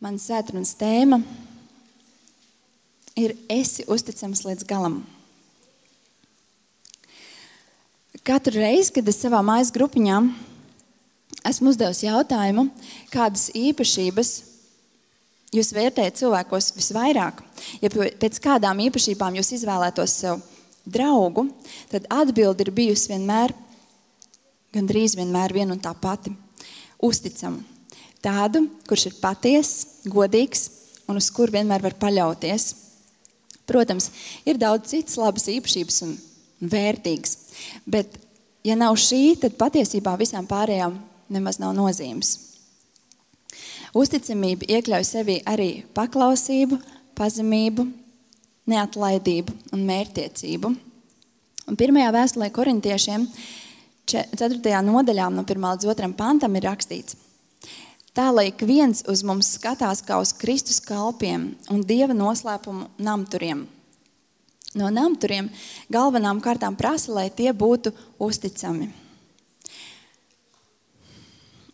Mana svētdienas tēma ir esi uzticams līdz galam. Katru reizi, kad es savā mājas grupiņā esmu uzdevusi jautājumu, kādas īpašības jūs vērtējat cilvēkos visvairāk, ja pēc kādām īpašībām jūs izvēlētos sev draugu, tad atbilde ir bijusi gandrīz vienmēr viena un tā pati – uzticama. Tādu, kurš ir patiess, godīgs un uz kuru vienmēr var paļauties. Protams, ir daudz citas labas īpašības un vērtīgas, bet ja nav šī, tad patiesībā visām pārējām nemaz nav nozīmes. Uzticamība iekļauj sevī arī paklausību, pazemību, neatlaidību un mērķtiecību. Un pirmajā vēstulē korintiešiem 4. nodaļā no 1. līdz 2. pantam ir rakstīts: tā, lai ik viens uz mums skatās kā uz Kristus kalpiem un Dieva noslēpumu namturiem. No namturiem galvenām kārtām prasa, lai tie būtu uzticami.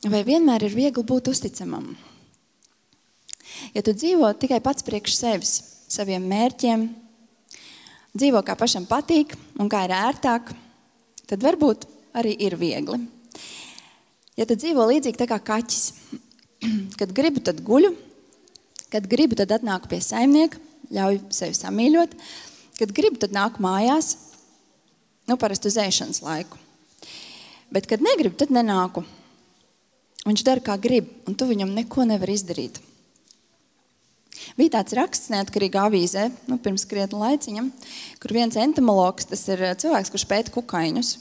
Vai vienmēr ir viegli būt uzticamam? Ja tu dzīvo tikai pats priekš sevis, saviem mērķiem, dzīvo kā pašam patīk un kā ir ērtāk, tad varbūt arī ir viegli. Ja tu dzīvo līdzīgi tā kā kaķis, kad gribu, tad guļu, kad gribu, tad atnāku pie saimnieka, ļauju sevi samīļot, kad gribu, tad nāku mājās, parasti uz ēšanas laiku. Bet, kad negribu, tad nenāku. Viņš dara, kā grib, un tu viņam neko nevar izdarīt. Bija tāds raksts neatkarīgā avīzē, pirms krietna laiciņa, kur viens entomologs, tas ir cilvēks, kurš pēta kukaiņus.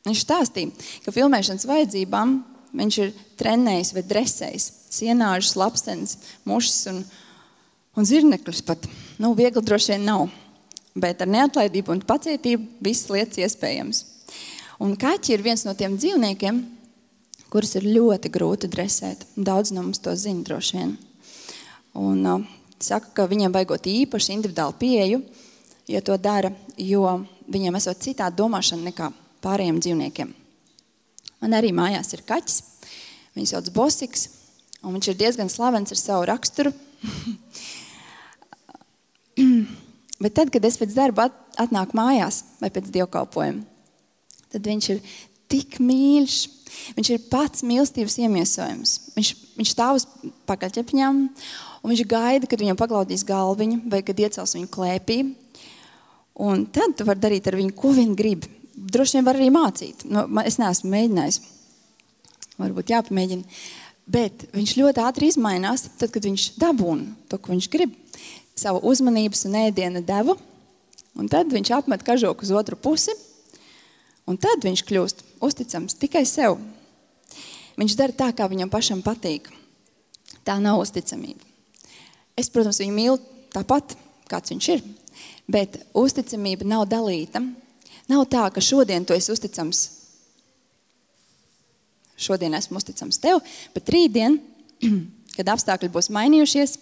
Viņš stāstīja, ka filmēšanas vajadzībām viņš ir trenējis vai dresējis sienāžus, lapsenes, mušas un zirnekļus pat. Viegli droši vien nav, bet ar neatlaidību un pacietību visas lietas iespējams. Un kaķi ir viens no tiem dzīvniekiem, kurus ir ļoti grūti dresēt. Daudz no mums to zina droši vien. Un saka, ka viņiem vajagot īpaši individuālu pieeju, ja to dara, jo viņiem esot citādi domāšana nekā pārējiem dzīvniekiem. Man arī mājās ir kaķis, viņu sauc Bosiks, un viņš ir diezgan slavens ar savu raksturu. Bet tad, kad es pēc darba atnāku mājās vai pēc dievkalpojuma, tad viņš ir tik mīļš, viņš ir pats mīlestības iemiesojums. Viņš stāv uz pakaļķepņām, un viņš gaida, kad viņam paglaudīs galviņu vai kad iecels viņu klēpī. Un tad tu vari darīt ar viņu, ko vien grib. Droši vien var arī mācīt. Es neesmu mēģinājis. Varbūt jāpamēģina. Bet viņš ļoti ātri izmainās, tad, kad viņš dabūna to, ko viņš grib. Savu uzmanības un ēdiena devu. Un tad viņš apmet kažoku uz otru pusi. Un tad viņš kļūst uzticams tikai sev. Viņš dara tā, kā viņam pašam patīk. Tā nav uzticamība. Es, protams, viņu mīlu tāpat, kāds viņš ir. Bet uzticamība nav dalīta. Nav tā, ka šodien tu esi uzticams. Šodien esmu uzticams tev, bet rītdien, kad apstākļi būs mainījušies,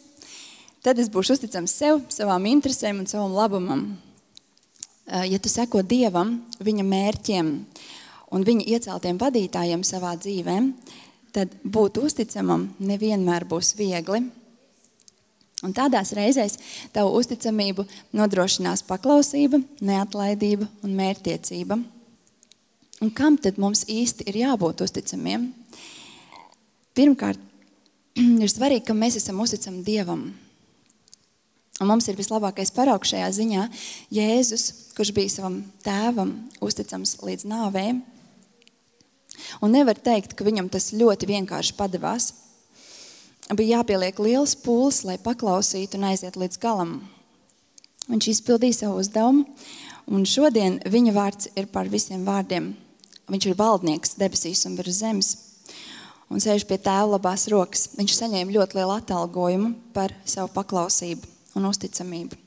tad es būšu uzticams sev, savām interesēm un savam labumam. Ja tu seko Dievam, viņa mērķiem un viņa ieceltiem vadītājiem savā dzīvēm, tad būt uzticamam nevienmēr būs viegli. Un tādās reizēs tavu uzticamību nodrošinās paklausība, neatlaidība un mērķtiecība. Un kam tad mums īsti ir jābūt uzticamiem? Pirmkārt, ir svarīgi, ka mēs esam uzticami Dievam. Un mums ir vislabākais paraugs šajā ziņā Jēzus, kurš bija savam tēvam uzticams līdz nāvei. Un nevar teikt, ka viņam tas ļoti vienkārši padevās. Bija jāpieliek liels pūles, lai paklausītu un aiziet līdz galam. Viņš izpildīja savu uzdevumu, un šodien viņa vārds ir par visiem vārdiem. Viņš ir valdnieks debesīs un virs zemes, un sēž pie tēva labās rokas. Viņš saņēma ļoti lielu atalgojumu par savu paklausību un uzticamību.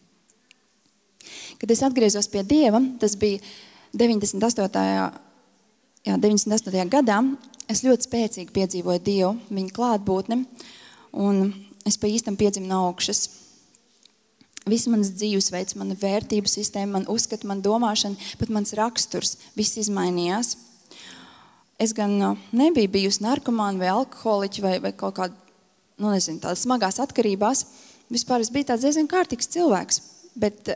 Kad es atgriezos pie Dieva, tas bija 98. gadā, es ļoti spēcīgi piedzīvoju Dievu, viņa klātbūtni, un es pa īstam piedzimu no augšas. Viss mans dzīvesveids, mana vērtību sistēma, man uzskata, man domāšana, pat mans raksturs, viss izmainījās. Es gan nebiju bijusi narkomāna vai alkoholiķa vai kaut kāda tādas smagās atkarībās, vispār es biju tāds diezgan kārtīgs cilvēks, bet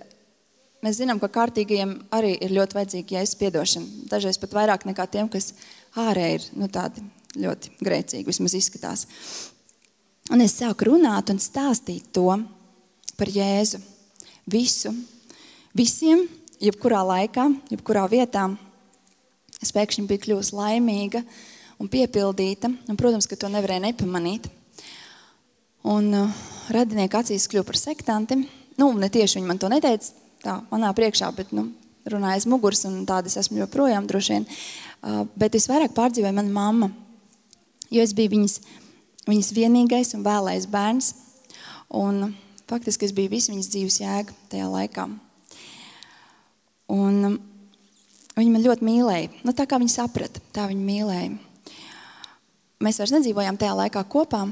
mēs zinām, ka kārtīgajiem arī ir ļoti vajadzīga Jēzus piedošana. Dažreiz pat vairāk nekā tiem, kas ārēji ir tādi ļoti grēcīgi, vismaz izskatās. Un es sāku runāt un stāstīt to par Jēzu. Visiem, jebkurā laikā, jebkurā vietā. Es pēkšņi biju kļuvusi laimīga un piepildīta, un, protams, ka to nevarēja nepamanīt. Un radinieki acīs kļuva par sektanti. Ne tieši viņi man to neteica tā manā priekšā, bet runāja aiz muguras, un tāda es esmu joprojām droši vien. Bet visvairāk pārdzīvoja mana mamma, jo es biju viņas vienīgais un vēlais bērns. Un faktiski es biju visu viņas dzīves jēga tajā laikā. Un viņa man ļoti mīlēja. Tā kā viņa saprata, tā viņa mīlēja. Mēs vairs nedzīvojām tajā laikā kopā,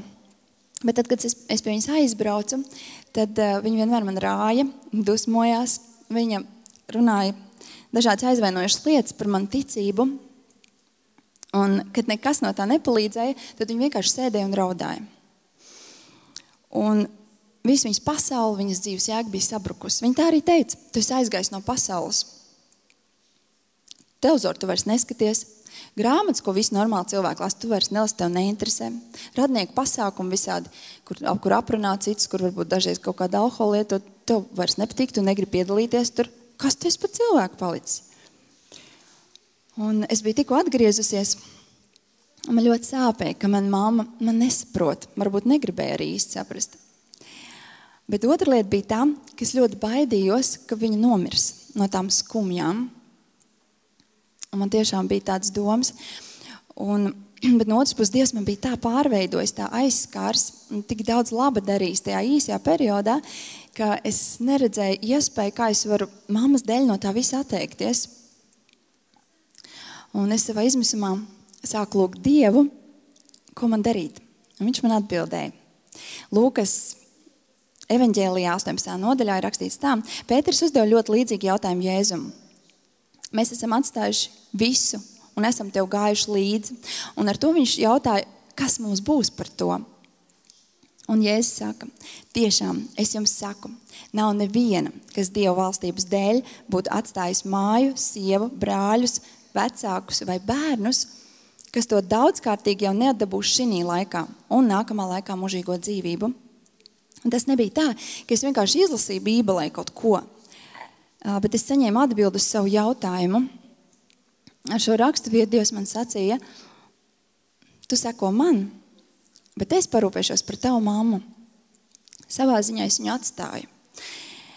bet tad, kad es pie viņas aizbraucu, tad viņa vienmēr man rāja, dusmojās. Viņa runāja dažādas aizvainojušas lietas par manu ticību. Un, kad nekas no tā nepalīdzēja, tad viņa vienkārši sēdēja un raudāja. Un visu viņas pasauli, viņas dzīves jēga bija sabrukusi. Viņa tā arī teica, tu esi aizgājis no pasaules. Televizoru tu vairs neskaties. Grāmatas, ko visi normāli cilvēki lasa, tu vairs nelasi, tev neinteresē. Radnieku pasākumi visādi, kur aprunā citus, kur varbūt dažreiz kaut kāda alkohola lietot, tev vairs nepatīk, tu negribi piedalīties tur. Kas tu esi par cilvēku palicis? Un es biju tikko atgriezusies, un man ļoti sāpēja, ka mana mamma man nesaprot, varbūt negribēja arī īsti saprast. Bet otra lieta bija tā, ka es ļoti baidījos, ka viņa nomirs no tām skumjām. Un man tiešām bija tādas domas. Bet no otras puses Dievs man bija tā pārveidojis, tā aizskārs un tik daudz laba darījis tajā īsajā periodā, ka es neredzēju iespēju, kā es varu mammas dēļ no tā visa atteikties. Un es savā izmisumā sāku lūgt Dievu, ko man darīt. Un viņš man atbildēja. Lūkas evaņģēlijā 18. nodaļā ir rakstīts tā. Pēters uzdeva ļoti līdzīgu jautājumu Jēzum. Mēs esam atstājuši visu un esam tev gājuši līdzi. Un ar to viņš jautāja, kas mums būs par to. Un Jēzus saka, tiešām es jums saku, nav neviena, kas Dieva valstības dēļ būtu atstājis māju, sievu, brāļus, vecākus vai bērnus, kas to daudzkārtīgi jau neatdabūs šī laikā un nākamā laikā mūžīgo dzīvību. Un tas nebija tā, ka es vienkārši izlasīju Bībelē kaut ko. Bet es saņēmu atbildi uz savu jautājumu. Ar šo rakstu vietu Dievs man sacīja, tu seko man, bet es parūpēšos par tavu mammu. Savā ziņā es viņu atstāju.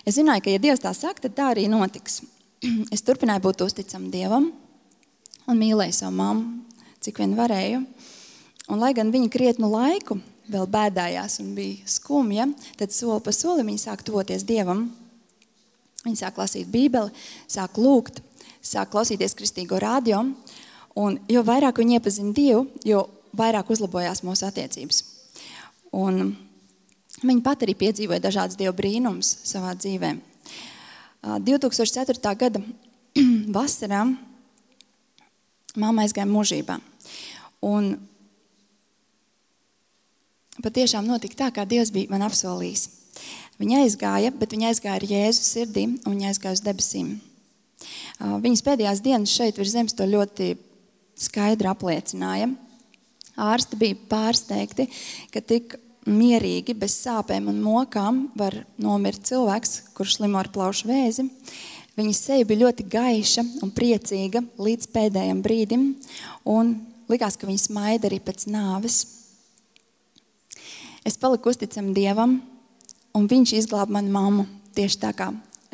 Es zināju, ka ja Dievs tā saka, tad tā arī notiks. Es turpināju būt uzticama Dievam un mīlēju savu mammu, cik vien varēju. Un lai gan viņa krietnu laiku vēl bēdājās un bija skumja, tad soli pa solim viņa sāk tuvoties Dievam. Viņi sāk lasīt Bībeli, sāk lūgt, sāk klausīties kristīgo radio, un jo vairāk viņi iepazina Dievu, jo vairāk uzlabojās mūsu attiecības. Un viņi pat arī piedzīvoja dažādas Dieva brīnumus savā dzīvē. 2004. gada vasarā mamma aizgāja mūžībā. Un patiešām notika tā, kā Dievs bija man apsolījis. Viņa aizgāja, bet viņa aizgāja ar Jēzu sirdī un viņa aizgāja uz debesīm. Viņas pēdējās dienas šeit virs zemes to ļoti skaidri apliecināja. Ārsti bija pārsteigti, ka tik mierīgi, bez sāpēm un mokām var nomirt cilvēks, kurš slimo ar plaušu vēzi. Viņas seja bija ļoti gaiša un priecīga līdz pēdējam brīdim un likās, ka viņa smaida arī pēc nāves. Es paliku uzticama Dievam, un viņš izglāba manu mammu tieši tā kā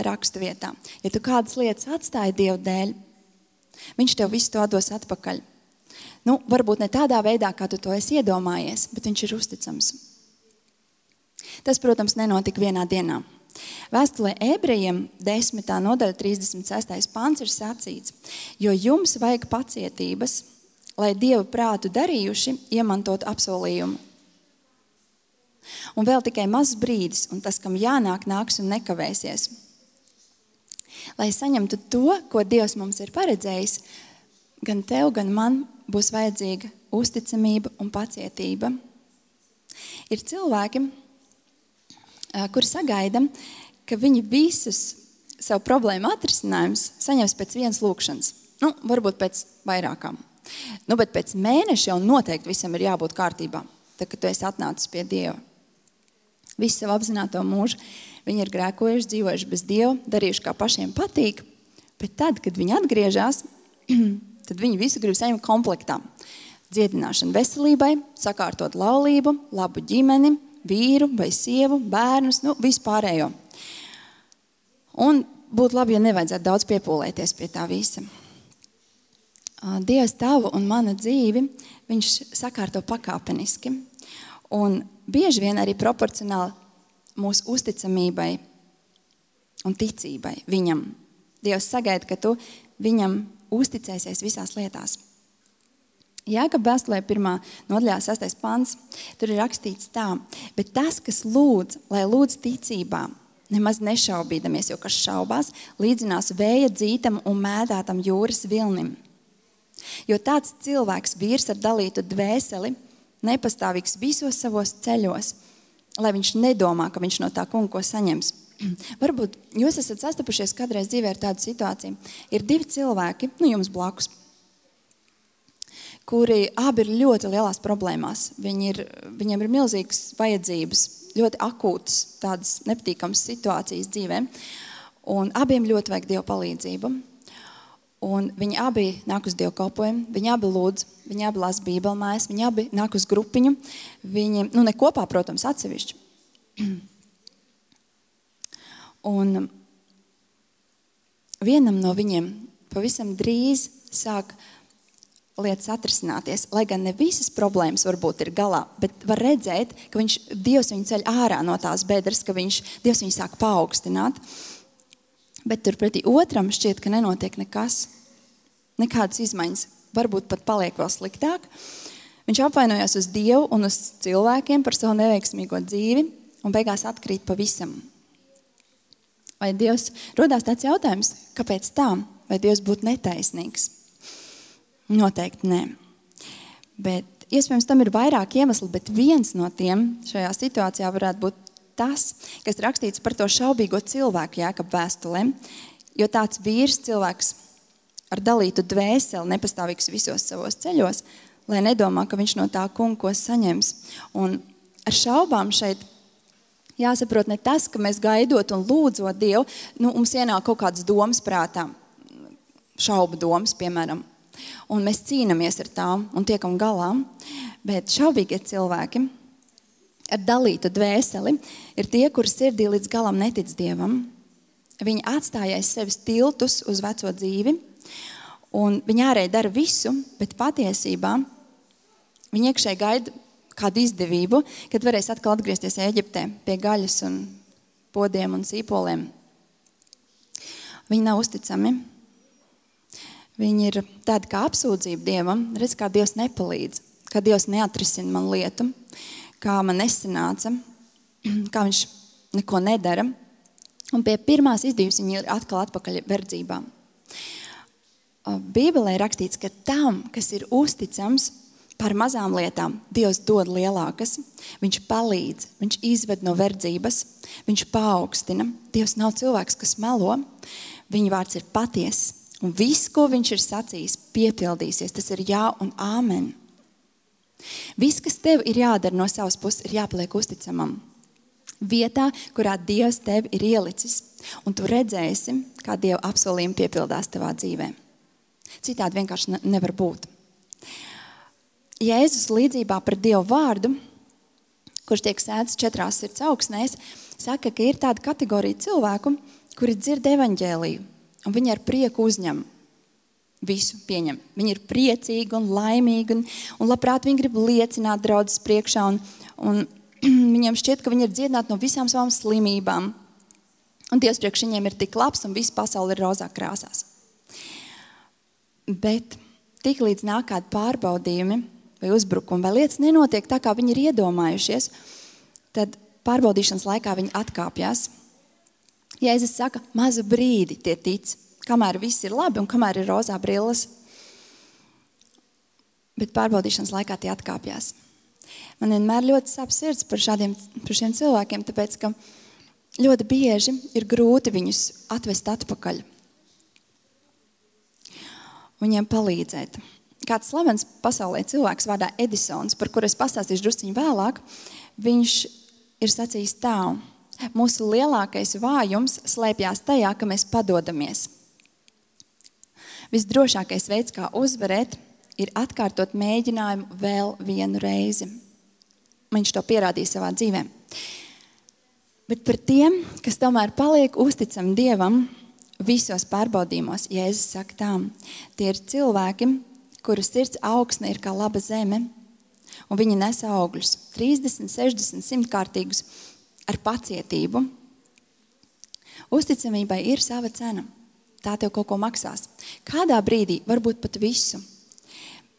rakstu vietā. Ja tu kādas lietas atstāji Dievu dēļ, viņš tev visu to dos atpakaļ. Varbūt ne tādā veidā, kā tu to esi iedomājies, bet viņš ir uzticams. Tas, protams, nenotika vienā dienā. Vēstulē Ebrejiem 10. nodaļa 36. pants ir sacīts, jo jums vajag pacietības, lai Dievu prātu darījuši iemantot apsolījumu. Un vēl tikai mazs brīdis, un tas, kam jānāk, nāks un nekavēsies. Lai saņemtu to, ko Dievs mums ir paredzējis, gan tev, gan man būs vajadzīga uzticamība un pacietība. Ir cilvēki, kuri sagaida, ka viņi visus savu problēmu atrisinājumus saņems pēc vienas lūkšanas. Varbūt pēc vairākām. Bet pēc mēneša jau noteikti visam ir jābūt kārtībā, tad, kad tu esi atnācis pie Dieva. Visu savu apzināto mūžu viņi ir grēkojuši, dzīvojuši bez Dieva, darījuši kā pašiem patīk, bet tad, kad viņi atgriežas, tad viņi visu grib saņemt komplektā. Dziedināšanu veselībai, sakārtot laulību, labu ģimeni, vīru vai sievu, bērnus, vispārējo. Un būtu labi, ja nevajadzētu daudz piepūlēties pie tā visa. Dievs tavu un mana dzīvi, viņš sakārto pakāpeniski. Un bieži vien arī proporcionāli mūsu uzticamībai un ticībai viņam. Dievs sagaida, ka tu viņam uzticēsies visās lietās. Jākaba vēstulē 1. nodaļā 6. pants, tur ir rakstīts tā, bet tas, kas lūdz, lai lūdz ticībā, nemaz nešaubīdamies, jo kas šaubās, līdzinās vēja dzītam un mēdātam jūras vilnim. Jo tāds cilvēks, vīrs ar dalītu dvēseli, nepastāvīgs visos savos ceļos, lai viņš nedomā, ka viņš no tā kunga ko saņems. Varbūt jūs esat sastapušies kādreiz dzīvē ar tādu situāciju. Ir 2 cilvēki, jums blakus, kuri abi ir ļoti lielās problēmās. Viņiem ir milzīgas vajadzības, ļoti akūtas, tādas nepatīkamas situācijas dzīvē. Un abiem ļoti vajag Dieva palīdzību. Un viņi abi nāk uz dievkalpojumu, viņi abi lūdz, viņi abi lasa bībelmājas, viņi abi nāk uz grupiņu. Viņi, ne kopā, protams, atsevišķi. Un vienam no viņiem pavisam drīz sāk lietas atrisināties, lai gan ne visas problēmas varbūt ir galā, bet var redzēt, ka Dievs viņu ceļ ārā no tās bedres, ka Dievs viņu sāk paaugstināt. Bet turpretī otram šķiet, ka nenotiek nekas, nekādas izmaiņas, varbūt pat paliek vēl sliktāk. Viņš apvainojās uz Dievu un uz cilvēkiem par savu neveiksmīgo dzīvi un beigās atkrīt pavisam. Vai Dievs, rodās tāds jautājums, kāpēc tā? Vai Dievs būtu netaisnīgs? Noteikti nē. Bet iespējams tam ir vairāk iemesli, bet viens no tiem šajā situācijā varētu būt tas, kas rakstīts par to šaubīgo cilvēku Jākaba vēstulē, jo tāds vīrs cilvēks ar dalītu dvēseli nepastāvīgs visos savos ceļos, lai nedomā, ka viņš no tā kunga ko saņems. Un ar šaubām šeit jāsaprot ne tas, ka mēs gaidot un lūdzot Dievu, mums ienāk kaut kādas domas prātā, šaubu domas, piemēram, un mēs cīnamies ar tām un tiekam galā, bet šaubīgie cilvēki ar dalītu dvēseli ir tie, kuri sirdī līdz galam netic Dievam. Viņi atstāja aiz sevis tiltus uz veco dzīvi, un viņi ārēji dara visu, bet patiesībā viņi iekšēji gaida kādu izdevību, kad varēs atkal atgriezties Ēģiptē pie gaļas un podiem un sīpoliem. Viņi nav uzticami. Viņi ir tādi kā apsūdzība Dievam, redz, kā Dievs nepalīdz, kā Dievs neatrisina man lietu, kā man nesanāca, kā viņš neko nedara. Un pie pirmās izdevības viņi ir atkal atpakaļ verdzībā. Bībelē ir rakstīts, ka tam, kas ir uzticams par mazām lietām, Dievs dod lielākas, viņš palīdz, viņš izved no verdzības, viņš paaugstina. Dievs nav cilvēks, kas melo, viņa vārds ir patiess, un viss, ko viņš ir sacījis, piepildīsies. Tas ir jā un āmen. Viss, kas tev ir jādara no savas puses, ir jāpaliek uzticamam. Vietā, kurā Dievs tevi ir ielicis, un tu redzēsi, kā Dieva apsolījumi piepildās tavā dzīvē. Citādi vienkārši nevar būt. Jēzus līdzībā par Dievu vārdu, kurš tiek sēdz 4 sirds augsnēs, saka, ka ir tāda kategorija cilvēku, kuri dzird evaņģēliju, un viņi ar prieku uzņem. Visu pieņem. Viņi ir priecīgi un laimīgi, un labprāt viņi grib liecināt draudzes priekšā, un viņiem šķiet, ka viņi ir dziedināti no visām savām slimībām. Un Dievs priekš viņiem ir tik labs, un visa pasaule ir rozā krāsās. Bet tik līdz nāk kādi pārbaudījumi vai uzbrukumi, vai lietas nenotiek tā, kā viņi ir iedomājušies, tad pārbaudīšanas laikā viņi atkāpjas. Jēzus saka, mazu brīdi tie tic, kamēr viss ir labi un kamēr ir rozā brilles. Bet pārbaudīšanas laikā tie atkāpjas. Man vienmēr ļoti sāp sirds par šiem cilvēkiem, tāpēc, ka ļoti bieži ir grūti viņus atvest atpakaļ. Viņiem palīdzēt. Kāds slavens pasaulē cilvēks vārdā Edisons, par kuru es pastāstīšu drusciņu vēlāk, viņš ir sacījis tā: mūsu lielākais vājums slēpjās tajā, ka mēs padodamies. Visdrošākais veids, kā uzvarēt, ir atkārtot mēģinājumu vēl vienu reizi. Viņš to pierādīja savā dzīvē. Bet par tiem, kas tomēr paliek uzticami Dievam visos pārbaudījumos, Jēzus saka tā: tie ir cilvēki, kuru sirds augsne ir kā laba zeme, un viņi nes augļus 30, 60, 100 kārtīgus ar pacietību. Uzticamībai ir sava cena. Tā tev kaut ko maksās. Kādā brīdī, varbūt pat visu,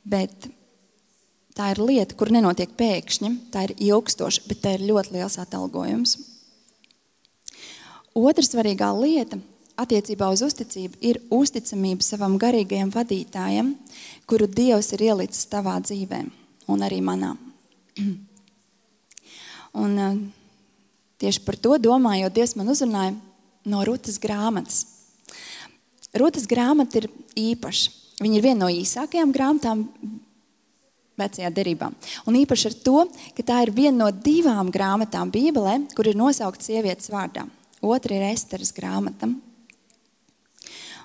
bet tā ir lieta, kur nenotiek pēkšņi, tā ir ilgstoša, bet tā ir ļoti liels atalgojums. Otra svarīgā lieta attiecībā uz uzticību ir uzticamība savam garīgajam vadītājam, kuru Dievs ir ielicis tavā dzīvē un arī manā. Un tieši par to domājot, Dievs man uzrunāja no Rutas grāmatas. Rutas grāmata ir īpaša. Viņa ir viena no īsākajām grāmatām vecajā derībā. Un īpaši ar to, ka tā ir viena no 2 grāmatām Bībelē, kur ir nosaukta sievietes vārdā. Otra ir Esteras grāmata.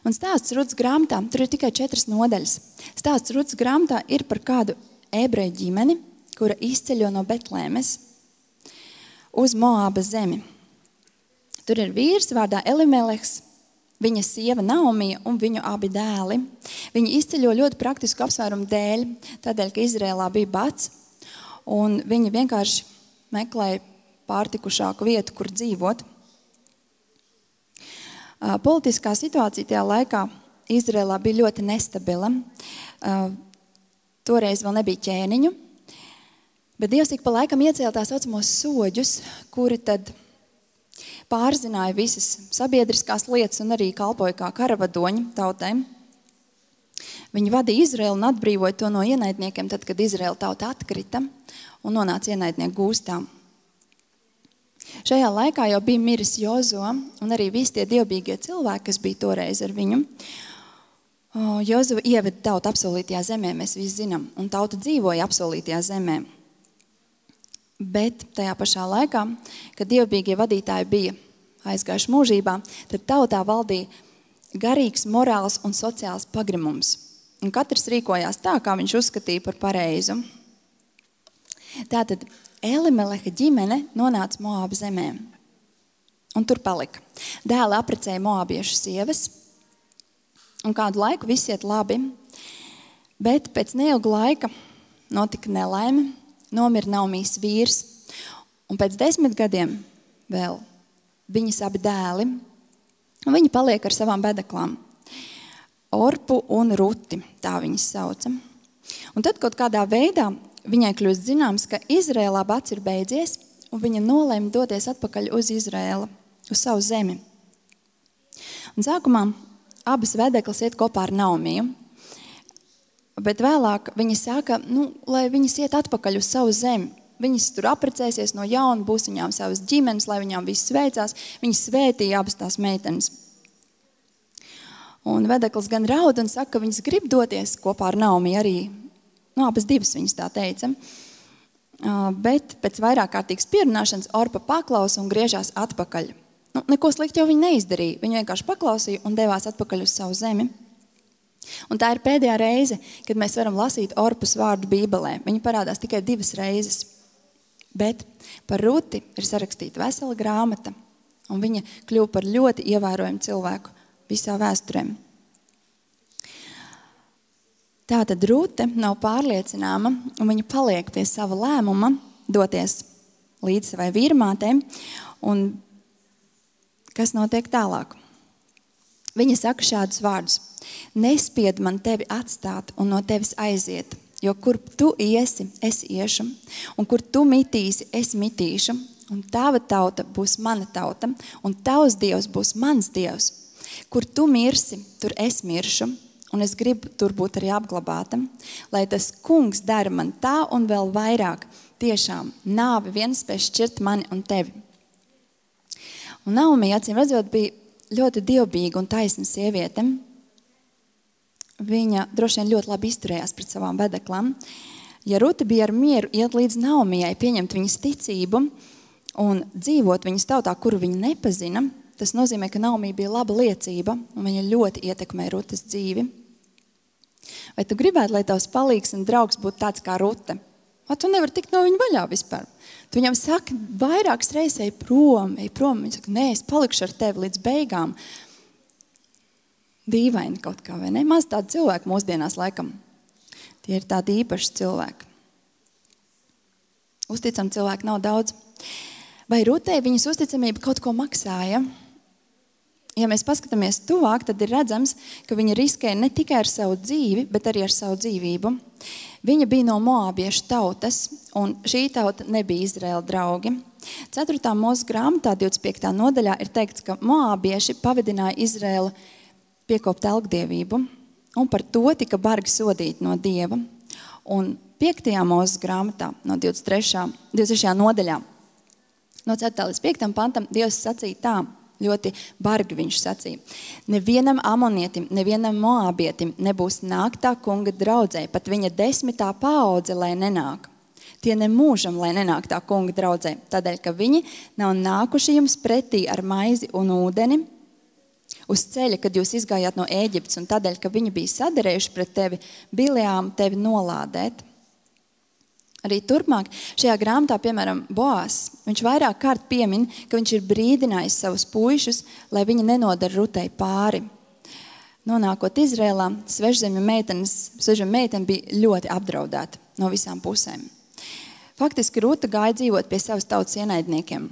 Un stāsts Rutas grāmatā, tur ir tikai 4 nodaļas. Stāsts Rutas grāmatā ir par kādu ebreju ģimeni, kura izceļo no Betlēmes uz Moābas zemi. Tur ir vīrs vārdā Elimelehs, viņa sieva Naomija un viņu abi dēli. Viņi izceļo ļoti praktisku apsvērumu dēļ, tādēļ, ka Izrēlā bija bats, un viņi vienkārši meklēja pārtikušāku vietu, kur dzīvot. Politiskā situācija tajā laikā Izrēlā bija ļoti nestabila. Toreiz vēl nebija ķēniņu, bet Dievs ik pa laikam iecēla tā saucamos soģus, kuri tad pārzināja visas sabiedriskās lietas un arī kalpoja kā karavadoņi tautai. Viņi vadīja Izraēlu un atbrīvoja to no ienaidniekiem, tad, kad Izraēla tauta atkrita un nonāca ienaidnieku gūstā. Šajā laikā jau bija miris Jozo un arī visi tie dievbijīgie cilvēki, kas bija toreiz ar viņu. Jozo ieveda tautu apsolītajā zemē, mēs visi zinām, un tauta dzīvoja apsolītajā zemē. Bet tajā pašā laikā, kad dievbijīgie vadītāji bija aizgājuši mūžībā, tad tautā valdīja garīgs, morāls un sociāls pagrimums. Un katrs rīkojās tā, kā viņš uzskatīja par pareizu. Tātad Elimeleha ģimene nonāca Moāba zemē. Un tur palika. Dēli apprecēja moābiešu sievas. Un kādu laiku viss iet labi. Bet pēc neilga laika notika nelaime. Nomira Naomijas vīrs. Un pēc 10 gadiem vēl viņas abi dēli. Un viņi paliek ar savām bedeklām. Orpu un Ruti, tā viņas sauca. Un tad kaut kādā veidā viņai kļūst zināms, ka Izrēlā bats ir beidzies, un viņa nolēma doties atpakaļ uz Izrēlu, uz savu zemi. Un sākumā abas vedeklas iet kopā ar Naomiju, bet vēlāk viņa saka, lai viņas iet atpakaļ uz savu zemi. Viņas tur apprecēsies no jauna, būs viņām savas ģimenes, lai viņām viss sveicās. Viņas svētīja abas tās meitenes. Un vedeklis gan raud un saka, ka viņas grib doties kopā ar Naomiju arī. Abas divas viņas tā teica. Bet pēc vairāk kārtīgas pierunāšanas Orpa paklausa un griežās atpakaļ. Neko slikti jau viņa neizdarīja. Viņa vienkārši paklausīja un devās atpakaļ uz savu zemi. Un tā ir pēdējā reize, kad mēs varam lasīt Orpas vārdu Bībelē. Viņa parādās tikai 2 reizes. Bet par Ruti ir sarakstīta vesela grāmata, un viņa kļuva par ļoti ievērojumu cilvēku visā vēsturē. Tātad Rute nav pārliecināma, un viņa paliek pie sava lēmuma doties līdz savai vīrmātei. Un kas notiek tālāk? Viņa saka šādus vārdus: nespied man tevi atstāt un no tevis aiziet, jo kur tu iesi, es iešu, un kur tu mitīsi, es mitīšu, un tava tauta būs mana tauta, un tavs Dievs būs mans Dievs. Kur tu mirsi, tur es miršu, un es gribu tur būt arī apglabāta, lai tas kungs dara man tā un vēl vairāk, tiešām nāve viens spēj šķirt mani un tevi. Un Naomija, acīm redzot, bija ļoti dievbijīga un taisna sieviete. Viņa droši vien ļoti labi izturējās pret savām vedeklām. Ja Ruta bija ar mieru iet līdz Naomijai, pieņemt viņas ticību un dzīvot viņas tautā, kuru viņa nepazina, tas nozīmē, ka Naomija bija laba liecība un viņa ļoti ietekmē Rutas dzīvi. Vai tu gribētu, lai tavs palīgs un draugs būtu tāds kā Ruta? Vai tu nevari tikt no viņa vaļā vispār? Tu viņam saki vairākas reizes, ej prom. Viņa saka, nē, es palikšu ar tevi līdz beigām. Dīvaini kaut kā, vai ne? Maz tādi cilvēki mūsdienās laikam. Tie ir tādi īpaši cilvēki. Uzticam cilvēki nav daudz. Vai Rutai viņas uzticamība kaut ko maksāja? Ja mēs paskatāmies tuvāk, tad ir redzams, ka viņa riskēja ne tikai ar savu dzīvi, bet arī ar savu dzīvību. Viņa bija no moābiešu tautas, un šī tauta nebija Izraēla draugi. 4. Mūzes grāmatā 25. nodaļā ir teikts, ka moābieši pavadināja Izraēlu piekopt elgdievību, un par to tika bargi sodīti no Dieva. Un 5. Mūzes grāmatā no 23. nodaļā, no 4. līdz 5. pantam, Dievs sacīja tā, ļoti bargi viņš sacīja. Nevienam amonietim, nevienam moābietim nebūs nāktā kunga draudzē, pat viņa 10. paudze, lai nenāk. Tie nemūžam, lai nenāk tā kunga draudzē, tādēļ, ka viņi nav nākuši jums pretī ar maizi un ūdeni uz ceļa, kad jūs izgājāt no Ēģiptes, un tādēļ, ka viņi bija sadarējuši pret tevi, biljām tevi nolādēt. Arī turpmāk šajā grāmatā, piemēram, Boās, viņš vairāk kārt piemin, ka viņš ir brīdinājis savus puišus, lai viņi nenodara Rutai pāri. Nonākot Izrēlā, svežzemju meitene bija ļoti apdraudēta no visām pusēm. Faktiski Ruta gāja dzīvot pie savas tautas ienaidniekiem,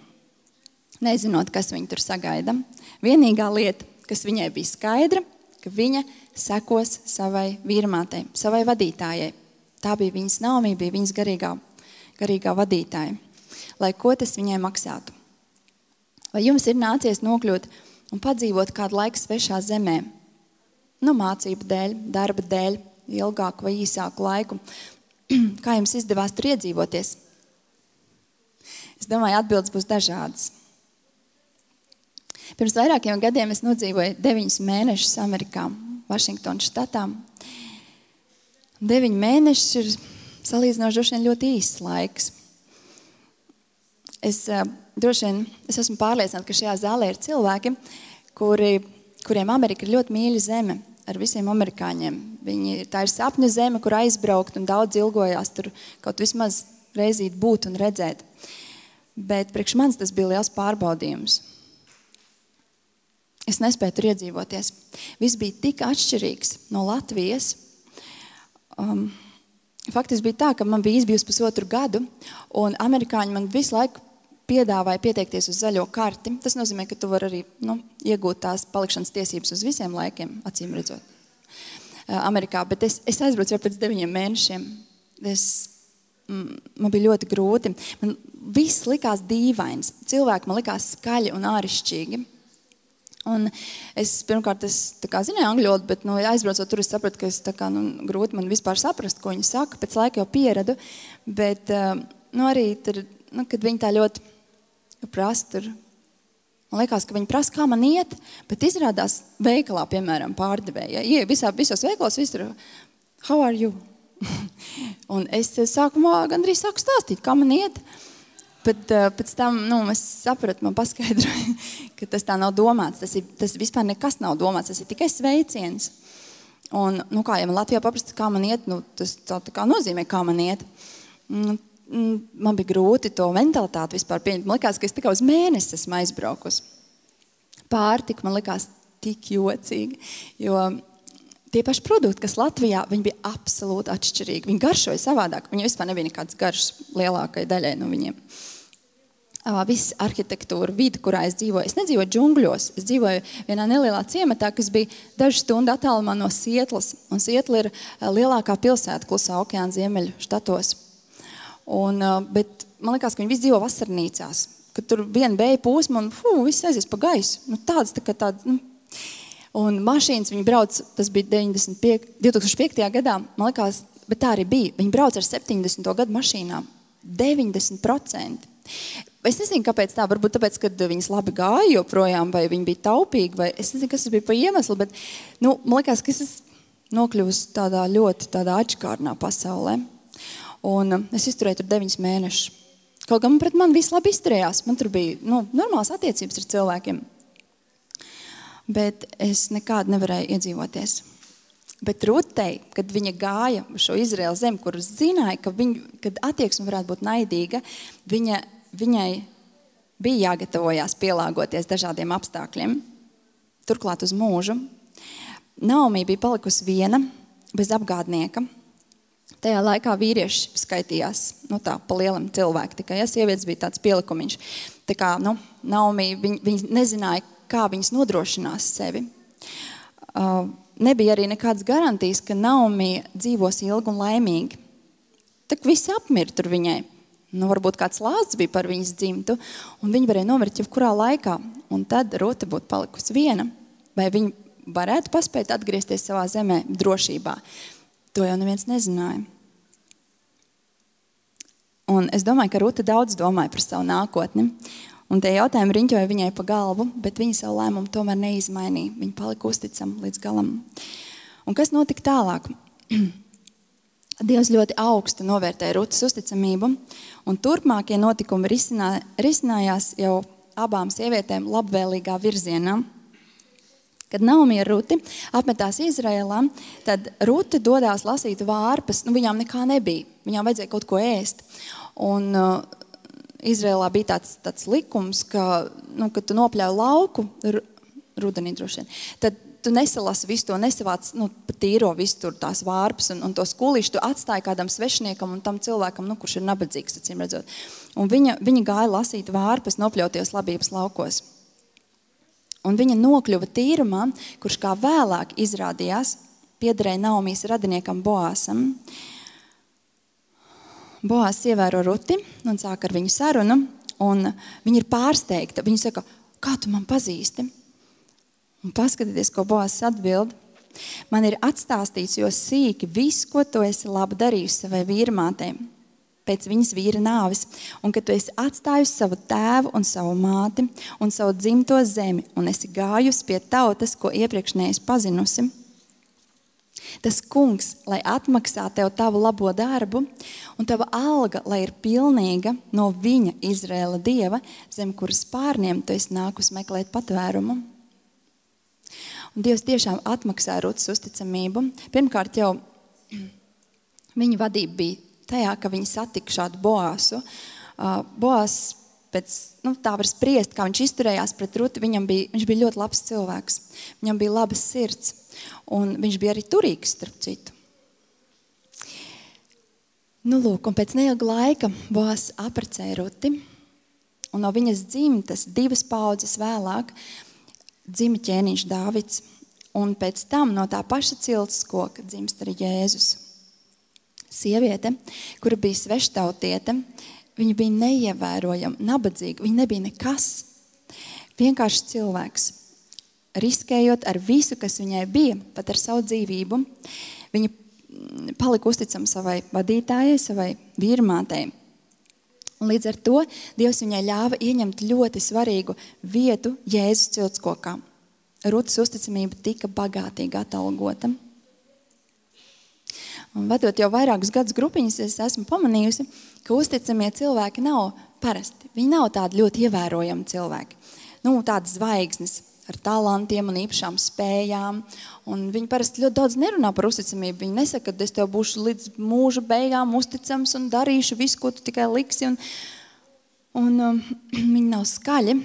nezinot, kas viņu tur sagaida. Vienīgā lieta, kas viņai bija skaidra, ka viņa sekos savai vīrmātei, savai vadītājai. Tā bija viņas Naomija, bija viņas garīgā vadītāja, lai ko tas viņai maksātu. Vai jums ir nācies nokļūt un padzīvot kādu laiku svešā zemē? Mācību dēļ, darba dēļ, ilgāku vai īsāku laiku. Kā jums izdevās tur iedzīvoties? Es domāju, atbildes būs dažādas. Pirms vairākiem gadiem es nodzīvoju 9 mēnešus Amerikā, Vašingtonas štatā. 9 mēneši ir salīdzinoši ļoti īsts laiks. Es esmu pārliecināta, ka šajā zālē ir cilvēki, kuriem Amerika ir ļoti mīļa zeme ar visiem amerikāņiem. Tā ir sapņu zeme, kur aizbraukt, un daudz ilgojās tur kaut vismaz reizīt būt un redzēt. Bet priekš manis tas bija liels pārbaudījums. Es nespēju tur iedzīvoties. Viss bija tik atšķirīgs no Latvijas. Faktiski bija tā, ka man bija izbijusi pusotru gadu, un amerikāņi man visu laiku piedāvāja pieteikties uz zaļo karti. Tas nozīmē, ka tu vari arī iegūt tās palikšanas tiesības uz visiem laikiem, acīm redzot, Amerikā. Bet es aizbraucu jau pēc 9 mēnešiem. Man bija ļoti grūti. Man viss likās dīvains. Cilvēki man likās skaļi un āršķirīgi. Un pirmkārt, zināju angļu valodu, bet aizbraucot tur, es sapratu, ka grūti man vispār saprast, ko viņi saka. Pēc laika jau pieradu, bet arī tur, kad viņi tā ļoti prasa tur, man liekas, ka viņi prasa, kā man iet, bet izrādās veikalā, piemēram, pārdevēja. Visos veikalos visur, how are you? Un es sākumā gandrīz sāku stāstīt, kā man iet. Bet pēc tam es sapratu, man paskaidroja, ka tas tā nav domāts. Tas vispār nekas nav domāts, tas ir tikai sveiciens. Un, kā ja man Latvijā paprasta, kā man iet, tas tā kā nozīmē, kā man iet. Man bija grūti to mentalitāti vispār pieņemt. Man likās, ka es tikai uz mēnesi esmu aizbraukus. Pārtika man likās tik jocīgi, jo tie paši produkti, kas Latvijā, viņi bija absolūti atšķirīgi. Viņi garšoja savādāk. Viņi vispār nebija nekāds garšs lielākai daļai no viņiem. Viss arhitektūra, vidi, kurā es dzīvoju. Es nedzīvoju džungļos. Es dzīvoju vienā nelielā ciematā, kas bija dažu stundu attālumā no Sietlas. Un Sietla ir lielākā pilsēta Klusā okeāna ziemeļu štatos. Bet man liekas, ka viņi visi dzīvo vasarnīcās. Kad tur viena vēja pūsma un viss aizies pa gaisu. Un mašīnas viņi brauc, tas bija 2005. gadā, man liekas, bet tā arī bija. Viņi brauc ar 70. gadu mašīnām. 90%. Es nezinu, kāpēc tā, varbūt tāpēc, ka viņas labi gāja joprojām, vai viņi bija taupīgi, vai es nezinu, kas tas bija pa iemeslu, bet, man liekas, ka es nokļuvusi tādā ļoti atšķirīgā pasaulē. Un es izturēju tur 9 mēnešus. Kaut gan pret mani viss labi izturējās. Man tur bija normālas attiecības ar cilvēkiem. Bet es nekādu nevarēju iedzīvoties. Bet Rutei, kad viņa gāja uz šo Izraēlu zemi, kur zināja, kad attieksme varētu būt naidīga, viņai bija jāgatavojās pielāgoties dažādiem apstākļiem. Turklāt uz mūžu. Naomi bija palikusi viena, bez apgādnieka. Tajā laikā vīrieši skaitījās, tā pa lielam cilvēku, tikai sievietes bija tāds pielikumiņš. Tā kā, Naomi, viņi nezināja, kā viņas nodrošinās sevi. Nebija arī nekādas garantijas, ka Naomi dzīvos ilgi un laimīgi. Tak visi apmir tur viņai. Varbūt kāds lāsts bija par viņas dzimtu, un viņa varēja nomirt jebkurā laikā. Un tad Rute būtu palikusi viena, vai viņa varētu paspēt atgriezties savā zemē drošībā. To jau neviens nezināja. Un es domāju, ka Rute daudz domāja par savu nākotni. Un tie jautājumi riņķoja viņai pa galvu, bet viņa savu lēmumu tomēr neizmainīja. Viņa palika uzticama līdz galam. Un kas notika tālāk? Dievs ļoti augstu novērtēja Rutes uzticamību, un turpmākie notikumi risinājās jau abām sievietēm labvēlīgā virzienā. Kad Naomi ar Ruti apmetās Izraēlā, tad Rute dodās lasīt vārpas, viņām nekā nebija, viņām vajadzēja kaut ko ēst. Un Izraēlā bija tāds likums, ka, kad tu nopļauj lauku, rudenī droši vien, tad tu nesalasi visu to, nesavāc pa tīro visu tur tās vārpas un to skulīšu tu atstāji kādam svešiniekam un tam cilvēkam, kurš ir nabadzīgs, acīm redzot. Un viņa gāja lasīt vārpas nopļautajos labības laukos. Un viņa nokļuva tīrumā, kurš kā vēlāk izrādījās, piederēja Naomijas radiniekam Boāsam. Boās ievēro Ruti un sāk ar viņu sarunu, un viņa ir pārsteigta. Viņa saka, kā tu man pazīsti? Un paskatieties, ko Boās atbild. Man ir atstāstīts jo sīki viss, ko tu esi labi darījusi savai vīrmātei pēc viņas vīra nāves, un ka tu esi atstājusi savu tēvu un savu māti un savu dzimto zemi, un esi gājusi pie tautas, ko iepriekš neesi pazinusi. Tas kungs, lai atmaksā tev tavu labo darbu, un tava alga, lai ir pilnīga no viņa Izraēla Dieva, zem kuras pārniem tu esi nākus meklēt patvērumu. Un Dievs tiešām atmaksā Rutas uzticamību. Pirmkārt jau viņa vadība bija tajā, ka viņi satika šādu Boāsu. Boās pēc, tā var spriest, kā viņš izturējās pret Ruti, viņš bija ļoti labs cilvēks. Viņam bija labas sirds, un viņš bija arī turīgs, starp citu. Lūk, un pēc neilga laika Boās apprecēja Ruti, un no viņas dzimtas 2 paudzes vēlāk dzima ķēniņš Dāvids, un pēc tam no tā paša cilts koka dzimst arī Jēzus. Sieviete, kura bija sveštautiete, viņa bija neievērojama, nabadzīga, viņa nebija nekas. Vienkārši cilvēks. Riskējot ar visu, kas viņai bija, pat ar savu dzīvību, viņa palika uzticama savai vadītājai, savai vīrmātei. Un līdz ar to Dievs viņai ļāva ieņemt ļoti svarīgu vietu Jēzus ciltskokā. Rutas uzticamība tika bagātīgi atalgota. Un vadot jau vairākus gadus grupiņas, es esmu pamanījusi, ka uzticamie cilvēki nav parasti. Viņi nav tādi ļoti ievērojami cilvēki. Tādas zvaigznes ar talantiem un īpašām spējām. Un viņi parasti ļoti daudz nerunā par uzticamību. Viņi nesaka, ka es tev būšu līdz mūža beigām uzticams un darīšu visu, ko tu tikai liksi. Un viņi nav skaļi.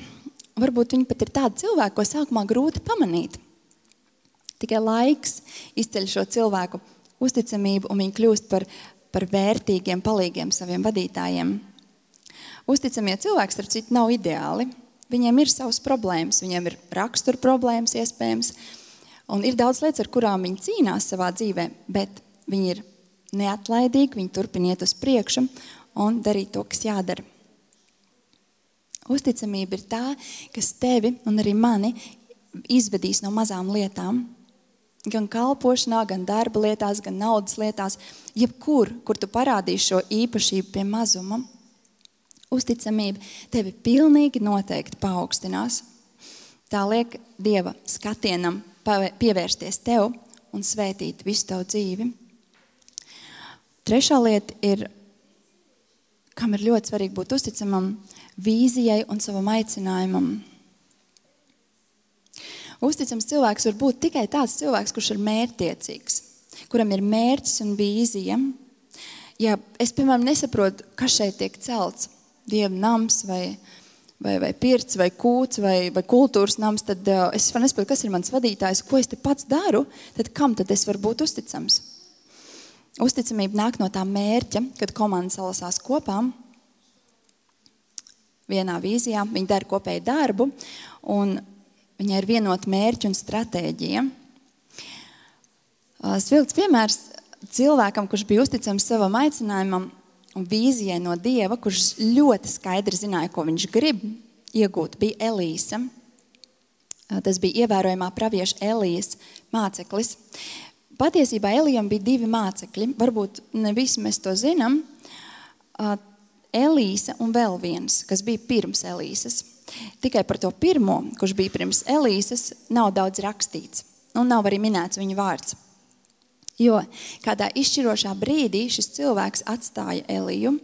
Varbūt viņi pat ir tādi cilvēki, ko sākumā grūti pamanīt. Tikai laiks izceļ šo cilvēku uzticamību, un viņi kļūst par vērtīgiem palīgiem saviem vadītājiem. Uzticamie cilvēki, starp citu, nav ideāli. Viņiem ir savas problēmas, viņiem ir rakstura problēmas iespējams, un ir daudz lietas, ar kurām viņi cīnās savā dzīvē, bet viņi ir neatlaidīgi, viņi turpina iet uz priekšu un darīt to, kas jādara. Uzticamība ir tā, kas tevi un arī mani izvedīs no mazām lietām. gan kalpošanā, gan darba lietās, gan naudas lietās, jebkur, kur tu parādīsi šo īpašību pie mazuma, uzticamība tevi pilnīgi noteikti paaugstinās. Tā liek Dieva skatienam pievērsties tev un svētīt visu tavu dzīvi. Trešā lieta ir, kam ir ļoti svarīgi būt uzticamam, vīzijai un savam aicinājumam. Uzticams cilvēks var būt tikai tāds cilvēks, kurš ir mērķtiecīgs, kuram ir mērķis un vīzija. Ja es, piemēram, nesaprotu, kas šeit tiek celts, Dieva nams vai pirts vai kūts vai kultūras nams, tad es nesaprotu, kas ir mans vadītājs, ko es te pats daru, tad kam tad es varu būt uzticams? Uzticamība nāk no tā mērķa, kad komanda salasās kopā, vienā vīzijā, viņi dara kopēju darbu, un viņai ir vienota mērķi un stratēģija. Svilts piemērs cilvēkam, kurš bija uzticams savam aicinājumam un vīzijai no Dieva, kurš ļoti skaidri zināja, ko viņš grib iegūt, bija Elīsa. Tas bija ievērojamā pravieša Elijas māceklis. Patiesībā Elijam bija 2 mācekļi, varbūt ne visi mēs to zinām. Elīsa un vēl viens, kas bija pirms Elīsas. Tikai par to pirmo, kurš bija pirms Elīsas, nav daudz rakstīts. Un nav arī minēts viņa vārds. Jo kādā izšķirošā brīdī šis cilvēks atstāja Eliju.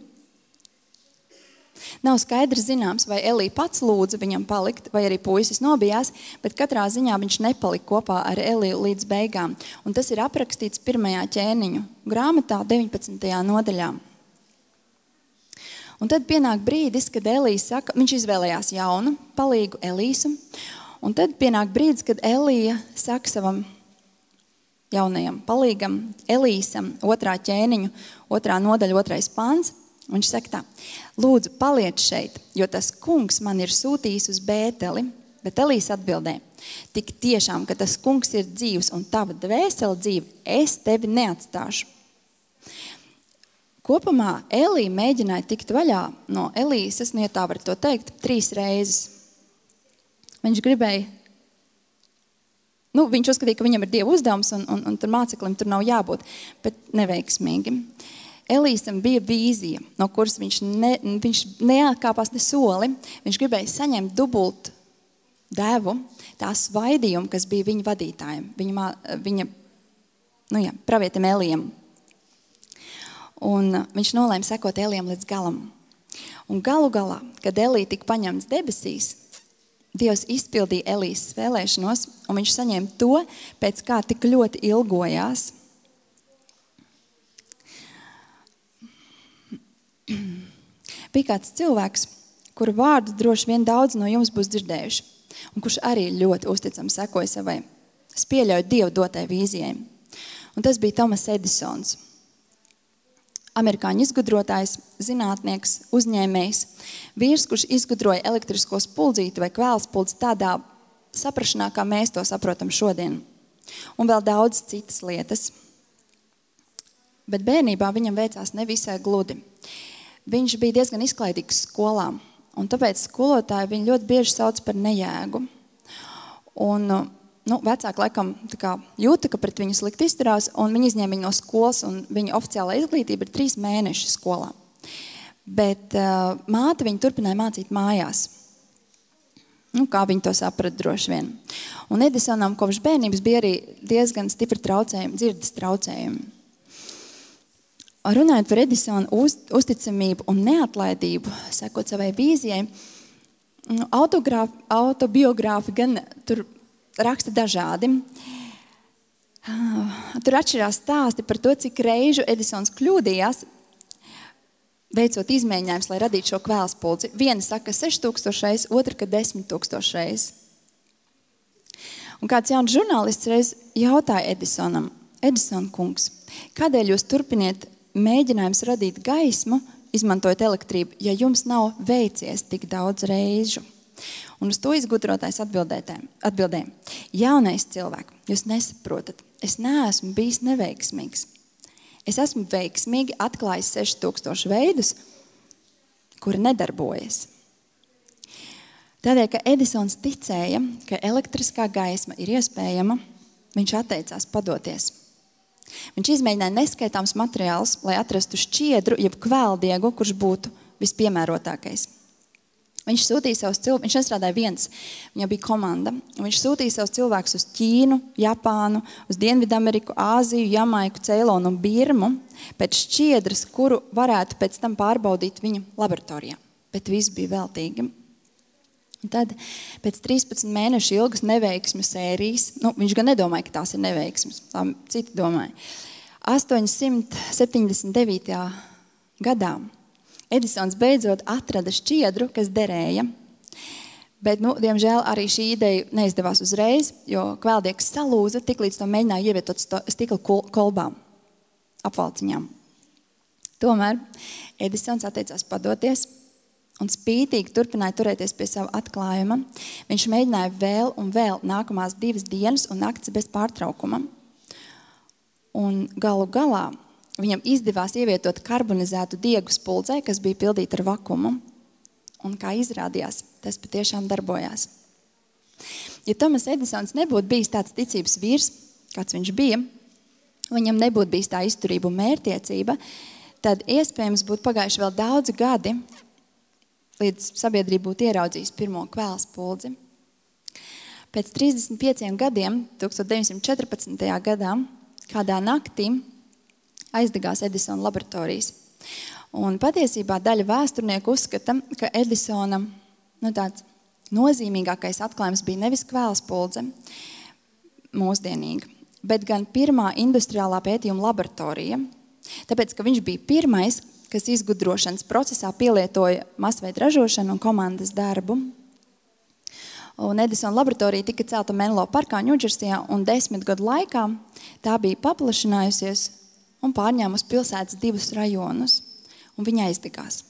Nav skaidrs zināms, vai Elija pats lūdza viņam palikt, vai arī puisis nobijās, bet katrā ziņā viņš nepalika kopā ar Eliju līdz beigām. Un tas ir aprakstīts 1. ķēniņu grāmatā 19. nodaļā. Un tad pienāk brīdis, kad Elija saka, viņš izvēlējās jaunu, palīgu Elīsu, un tad pienāk brīdis, kad Elija saka savam jaunajam palīgam, Elīsam, 2. ķēniņu, 2. nodaļa, 2. pants, viņš saka tā, lūdzu, paliec šeit, jo tas kungs man ir sūtījis uz Bēteli, bet Elīsa atbildē, tik tiešām, ka tas kungs ir dzīvs un tava dvēsele dzīve, es tevi neatstāšu. Kopumā Elija mēģināja tikt vaļā no Elīsas, ja tā var to teikt, 3 reizes. Viņš gribēja, viņš uzskatīja, ka viņam ir Dieva uzdevums un tur māceklim tur nav jābūt, bet neveiksmīgi. Elīsam bija vīzija, no kuras viņš neatkāpās ne soli. Viņš gribēja saņemt dubult devu, tā svaidījumu, kas bija viņa vadītājiem, viņa pravietim Elijam. Un viņš nolēma sekot Elijam līdz galam. Un galu galā, kad Elija tika paņemts debesīs, Dievs izpildīja Elijas vēlēšanos, un viņš saņēma to, pēc kā tik ļoti ilgojās. Bija kāds cilvēks, kuru vārdu droši vien daudz no jums būs dzirdējuši, un kurš arī ļoti uzticami sekoja savai, es pieļauju Dievu dotai vīzijai. Un tas bija Tomas Edisons. Amerikāņu izgudrotājs, zinātnieks, uzņēmējs, vīrs, kurš izgudroja elektrisko spuldzīti vai kvēlspuldzi tādā saprašanā, kā mēs to saprotam šodien. Un vēl daudz citas lietas. Bet bērnībā viņam veicās nevisai gludi. Viņš bija diezgan izklaidīgs skolā, un tāpēc skolotāji viņu ļoti bieži sauc par nejēgu. Un vecāki laikam jūta, ka pret viņu slikti izturās, un viņi izņēma viņu no skolas, un viņa oficiālā izglītība ir 3 mēneši skolā. Bet māte viņu turpināja mācīt mājās. Kā viņi to saprata droši vien. Un Edisonam kopš bērnības bija arī diezgan stipri traucējumi, dzirdes traucējumi. Runājot par Edisonu uzticamību un neatlaidību, sekot savai vīzijai, autobiogrāfi gan tur raksta dažādi. Tur atšķirās stāsti par to, cik reižu Edisons kļūdījās, veicot izmēģinājumus, lai radītu šo kvēlspuldzi. Viena saka 6000 reizes, otra, ka 10,000 reizes. Un kāds jauns žurnālists reiz jautāja Edisonam, Edison kungs, kādēļ jūs turpiniet mēģinājums radīt gaismu, izmantojot elektrību, ja jums nav veicies tik daudz reižu? Un uz to izgudrotājs atbildēja, jaunais cilvēks, jūs nesaprotat, es neesmu bijis neveiksmīgs. Es esmu veiksmīgi atklājis 6000 veidus, kuri nedarbojas. Tādēļ, ka Edisons ticēja, ka elektriskā gaisma ir iespējama, viņš atteicās padoties. Viņš izmēģināja neskaitāms materiālus, lai atrastu šķiedru, jeb kvēldiegu, kurš būtu vispiemērotākais. Viņš sūtīja savus cilvēkus, viņš nestrādāja viens, viņam bija komanda. Viņš sūtīja savus cilvēkus uz Ķīnu, Japānu, uz Dienvidameriku, Āziju, Jamaiku, Ceilonu un Birmu pēc šķiedras, kuru varētu pēc tam pārbaudīt viņa laboratorijā. Bet viss bija veltīgi. Un tad pēc 13 mēnešu ilgas neveiksmu sērijas, viņš gan nedomāja, ka tās ir neveiksmes, tā citi domāja. 879. gadā Edisons beidzot atrada šķiedru, kas derēja, bet, diemžēl, arī šī ideja neizdevās uzreiz, jo kvēldiegs salūza, tiklīdz to mēģināja ievietot stikla kolbām, apvalciņām. Tomēr Edisons atteicās padoties un spītīgi turpināja turēties pie sava atklājuma. Viņš mēģināja vēl un vēl nākamās 2 dienas un naktis bez pārtraukuma. Un galu galā viņam izdevās ievietot karbonizētu diegu spuldzē, kas bija pildīta ar vakumu. Un kā izrādījās, tas patiešām darbojās. Ja Tomas Edisons nebūtu bijis tāds ticības vīrs, kāds viņš bija, viņam nebūtu bijis tā izturība un mērķtiecība, tad iespējams būtu pagājuši vēl daudzi gadi, līdz sabiedrība būtu ieraudzījusi pirmo kvēls puldzi. Pēc 35 gadiem, 1914. gadā, kādā naktī aizdegās Edisona laboratorijas. Un patiesībā daļa vēsturnieku uzskata, ka Edisona tāds nozīmīgākais atklājums bija nevis kvēls puldze mūsdienīga, bet gan pirmā industriālā pētījuma laboratorija, tāpēc, ka viņš bija pirmais, kas izgudrošanas procesā pielietoja masveida ražošanu un komandas darbu. Un Edisona laboratorija tika celta Menlo parkā, Ņūdžersijā, un 10 gadu laikā tā bija paplašinājusies un pārņēmusi pilsētas 2 rajonus, un viņa aizdegās.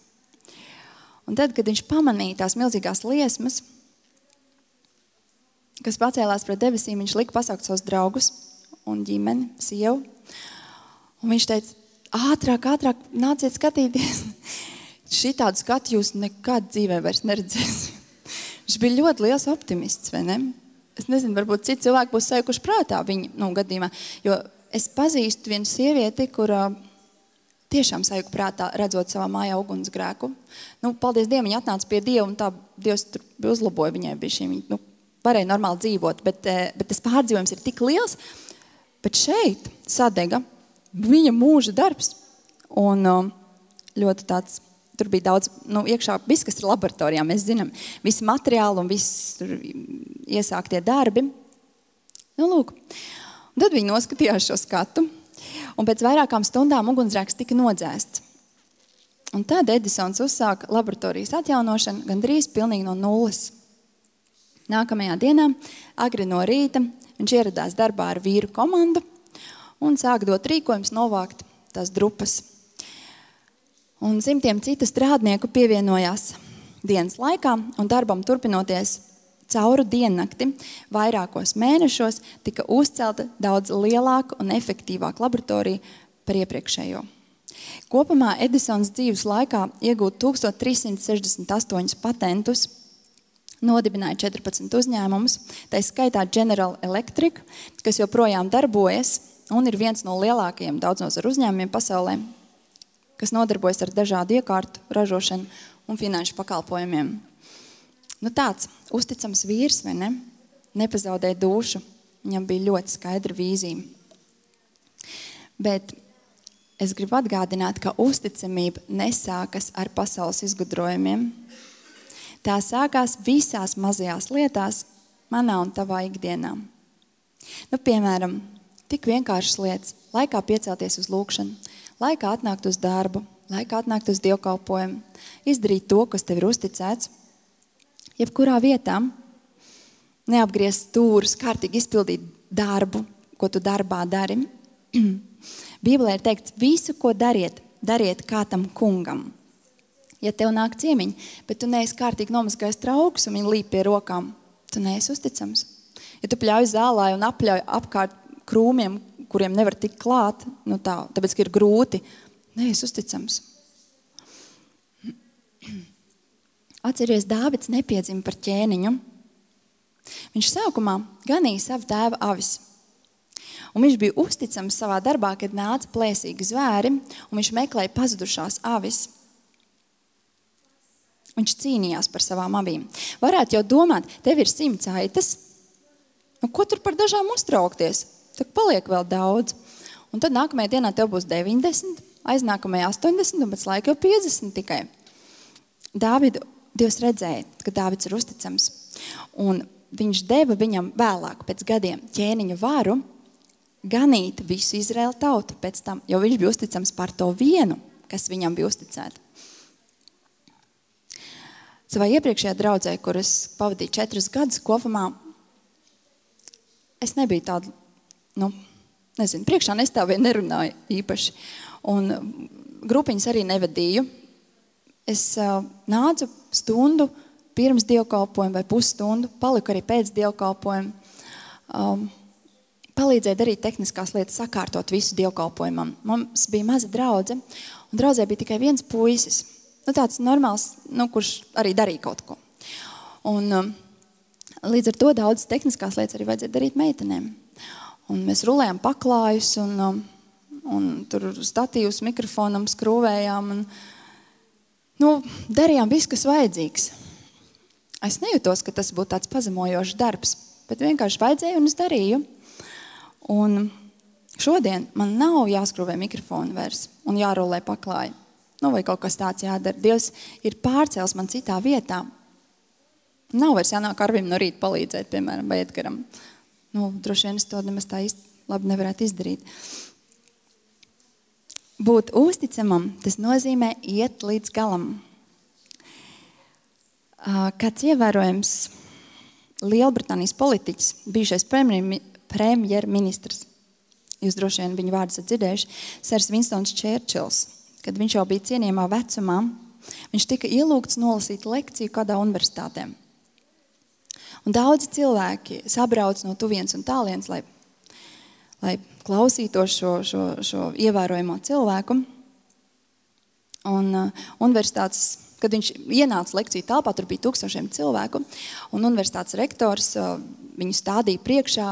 Un tad, kad viņš pamanīja tās milzīgās liesmas, kas pacēlās pret debesīm, viņš lika pasaukt savus draugus un ģimeni, sievu, un viņš teica, ātrāk, nāciet skatīties. Šitādu skatu jūs nekad dzīvē vairs neredzēsiet. Viņš bija ļoti liels optimists, vai ne? Es nezinu, varbūt citi cilvēki būs sajukuši prātā viņa gadījumā, jo es pazīstu vienu sievieti, kura tiešām sajuka prātā, redzot savā mājā ugunsgrēku. Paldies Dievam, viņa atnāca pie Dieva, un tā Dievs tur uzlaboja viņai bišķi. Viņa varēja normāli dzīvot, bet tas pārdzīvojums ir tik liels, bet šeit sadega viņa mūža darbs. Un ļoti tāds, tur bija daudz, iekšā viss, kas ir laboratorijā, mēs zinām, visi materiāli un viss tur iesāktie darbi. Lūk. Un tad viņi noskatījās šo skatu, un pēc vairākām stundām ugunsgrēks tika nodzēsts. Un tad Edisons uzsāka laboratorijas atjaunošanu gandrīz pilnīgi no nulles. Nākamajā dienā, agri no rīta, viņš ieradās darbā ar vīru komandu un sāka dot rīkojums novākt tās drupas. Un simtiem citu strādnieku pievienojās dienas laikā, un darbam turpinoties cauru diennakti vairākos mēnešos tika uzcelta daudz lielāka un efektīvāka laboratorija par iepriekšējo. Kopumā Edisons dzīves laikā iegūt 1368 patentus, nodibināja 14 uzņēmumus, tā skaitā General Electric, kas joprojām darbojas un ir viens no lielākajiem daudznozaru uzņēmumiem pasaulē, kas nodarbojas ar dažādu iekārtu ražošanu un finanšu pakalpojumiem. Tāds uzticams vīrs, vai ne? Nepazaudēja dušu. Viņam bija ļoti skaidra vīzija. Bet es gribu atgādināt, ka uzticamība nesākas ar pasaules izgudrojumiem. Tā sākās visās mazajās lietās, manā un tavā ikdienā. Piemēram, tik vienkāršas lietas. Laikā piecelties uz lūkšanu, laikā atnākt uz darbu, laikā atnākt uz dievkalpojumu, izdarīt to, kas tev ir uzticēts. Jebkurā vietā neapgriezt stūrus, kārtīgi izpildīt darbu, ko tu darbā dari. Bībelē ir teikts, visu, ko dariet, dariet kā tam kungam. Ja tev nāk ciemiņi, bet tu neesi kārtīgi nomazgājis traukus un viņi līp pie rokām, tu neesi uzticams. Ja tu pļauj zālē un apļauj apkārt krūmiem, kuriem nevar tikt klāt, tāpēc, ka ir grūti, neesi uzticams. Atceries, Dāvids nepiedzima par ķēniņu. Viņš sākumā ganīja savu tēva avis. Un viņš bija uzticams savā darbā, kad nāca plēsīgi zvēri, un viņš meklēja pazudušās avis. Viņš cīnījās par savām avīm. Varētu jau domāt, tev ir 100 aitas, nu, ko tur par dažām uztraukties? Tad paliek vēl daudz. Un tad nākamajā dienā tev būs 90, aiznākamajā 80, un pēc laika jau 50 tikai. Dāvidu Dievs redzēja, ka Dāvids ir uzticams. Un viņš deva viņam vēlāk, pēc gadiem, ķēniņa varu ganīt visu Izraēlu tautu pēc tam, jo viņš bija uzticams par to vienu, kas viņam bija uzticēta. Savā iepriekšējā draudzē, kur es pavadīju 4 gadus kopumā, es nebiju tāda, priekšā nestāvēju, nerunāju īpaši. Un grupiņas arī nevadīju. Es nācu stundu pirms dievkalpojuma vai pusstundu, paliku arī pēc dievkalpojuma, palīdzēja darīt tehniskās lietas, sakārtot visu dievkalpojumam. Mums bija maza draudze, un draudzē bija tikai viens puisis. Tāds normāls, kurš arī darīja kaut ko. Un līdz ar to daudzas tehniskās lietas arī vajadzēja darīt meitenēm. Un mēs rulējām paklājus, un tur statīvus mikrofonam skrūvējām, un darījām visu, kas vajadzīgs. Es nejūtos, ka tas būtu tāds pazemojošs darbs, bet vienkārši vajadzēja, un es darīju. Un šodien man nav jāskrūvē mikrofonu vairs un jārulē paklāju. Vai kaut kas tāds jādara. Dievs ir pārcēlis man citā vietā. Nav vairs jānāk Arvim no rīta palīdzēt, piemēram, vai Edgaram. Droši vien es to nemaz tā īsti labi nevarētu izdarīt. Būt uzticamam, tas nozīmē iet līdz galam. Kāds ievērojams Lielbritānijas politiķis, bijušais premjerministrs, jūs droši vien viņu vārdus dzirdējuši, Sers Winstons Čērčils, kad viņš jau bija cienījamā vecumā, viņš tika ielūgts nolasīt lekciju kādā universitātē. Un daudzi cilvēki sabrauc no tuvienes un tālienes, lai klausītos šo ievērojamo cilvēku. Un universitātes, kad viņš ienāca lekciju telpā, tur bija 1000 cilvēku, un universitātes rektors viņu stādīja priekšā,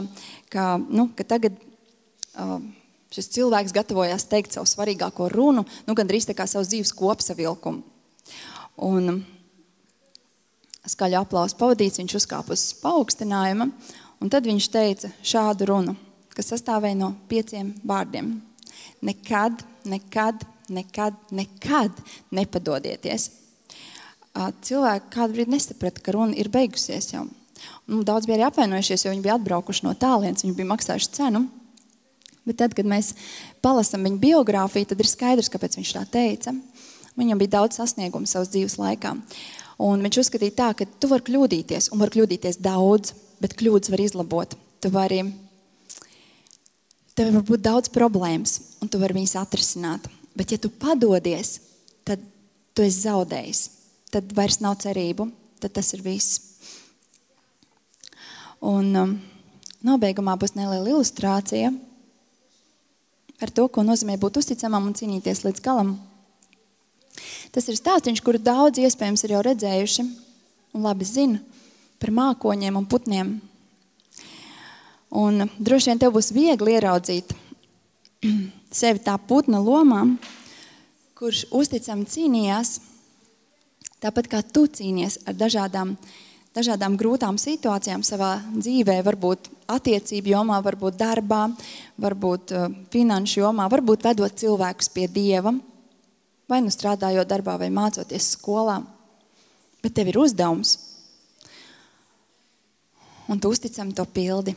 ka tagad šis cilvēks gatavojās teikt savu svarīgāko runu, gandrīz tā kā savu dzīves kopsavilkumu. Un skaļu aplausu pavadīts, viņš uzkāpa uz paaugstinājuma, un tad viņš teica šādu runu, kas sastāvēja no 5 vārdiem. Nekad, nekad, nekad, nekad nepadodieties. Cilvēki kādu brīdi nesaprata, ka runa ir beigusies jau. Daudz bija arī apvainojušies, jo viņi bija atbraukuši no tālienes, viņi bija maksājuši cenu. Bet tad, kad mēs palasam viņa biogrāfiju, tad ir skaidrs, kāpēc viņš tā teica. Viņam bija daudz sasniegumu savas dzīves laikā. Un viņš uzskatīja tā, ka tu vari kļūdīties, un var kļūdīties daudz, bet kļūdas var izlabot. Tev var būt daudz problēmas, un tu vari viņas atrisināt. Bet ja tu padodies, tad tu esi zaudējis. Tad vairs nav cerību, tad tas ir viss. Un nobeigumā būs neliela ilustrācija par to, ko nozīmē būt uzticamam un cīnīties līdz galam. Tas ir stāstiņš, kuru daudz iespējams ir jau redzējuši un labi zina par mākoņiem un putniem. Un droši vien tev būs viegli ieraudzīt sevi tā putna lomā, kurš uzticami cīnījās, tāpat kā tu cīnies ar dažādām grūtām situācijām savā dzīvē, varbūt attiecību jomā, varbūt darbā, varbūt finanšu jomā, varbūt vedot cilvēkus pie Dieva, vai strādājot darbā, vai mācoties skolā. Bet tev ir uzdevums, un tu uzticami to pildi.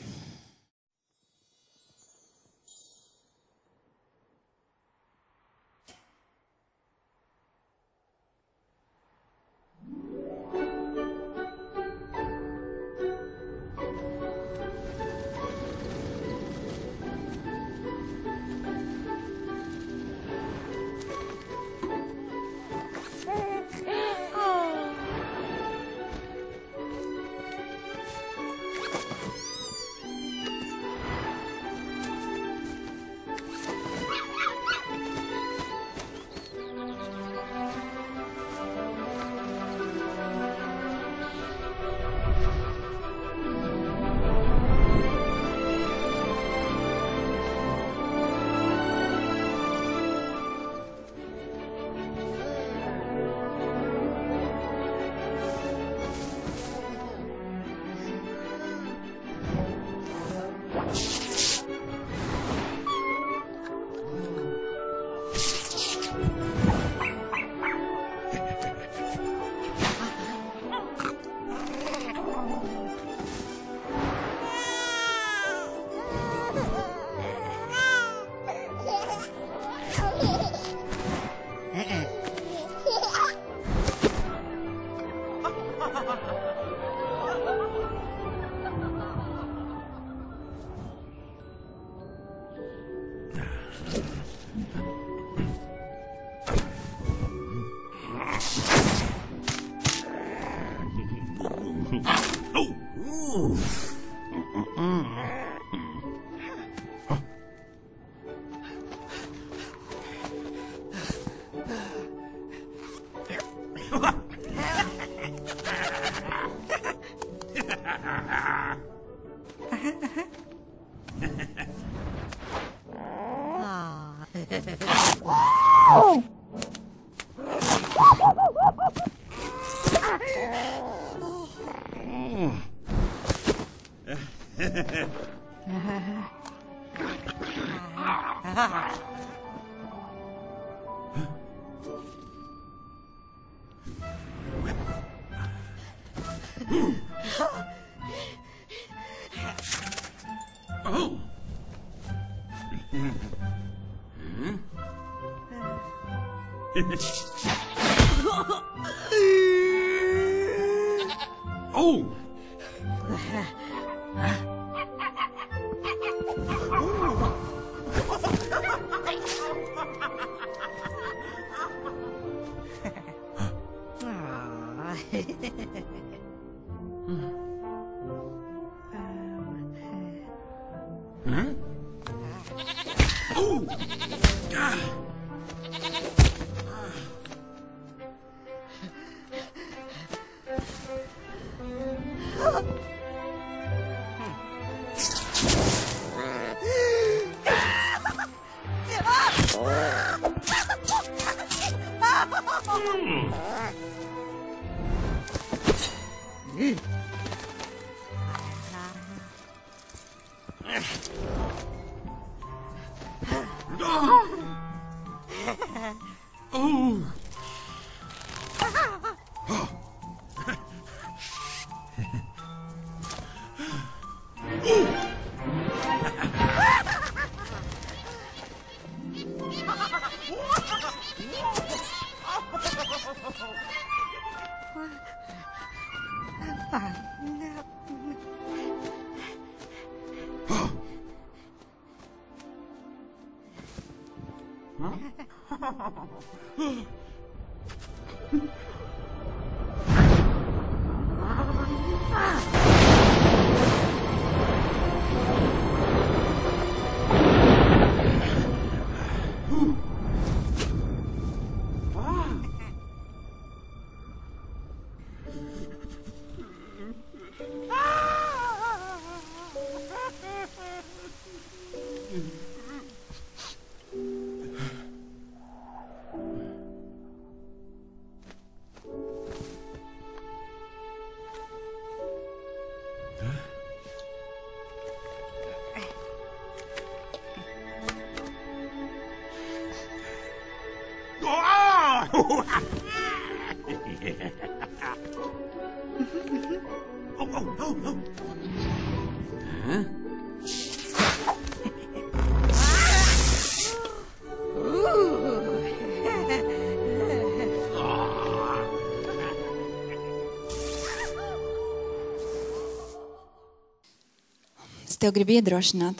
Es tev gribu iedrošināt,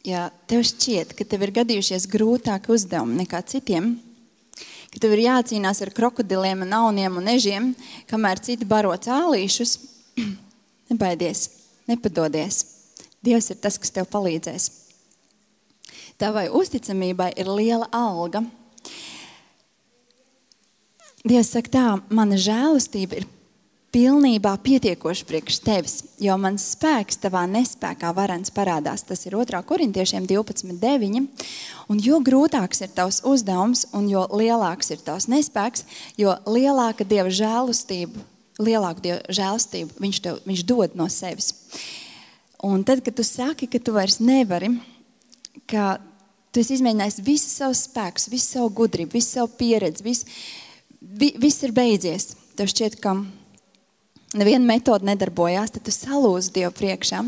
ja tev šķiet, ka tev ir gadījušies grūtāki uzdevumi nekā citiem, ka tev ir jācīnās ar krokodiliem un auniem un ežiem, kamēr citi baro cālīšus, nebaidies, nepadodies. Dievs ir tas, kas tev palīdzēs. Tavai uzticamībai ir liela alga. Dievs saka tā, mana žēlastība ir pilnībā pietiekoši priekš tevis, jo mans spēks tavā nespēkā varens parādās. Tas ir 2. Korintiešiem 12:9. Un jo grūtāks ir tavs uzdevums un jo lielāks ir tavs nespēks, jo lielāku Dieva žēlastību viņš dod no sevis. Un tad, kad tu saki, ka tu vairs nevari, ka tu esi izmēģinājis visu savu spēku, visu savu gudrību, visu savu pieredzi, viss ir beidzies. Tev šķiet, ka neviena metode nedarbojās, tad tu salūzi Dievu priekšā.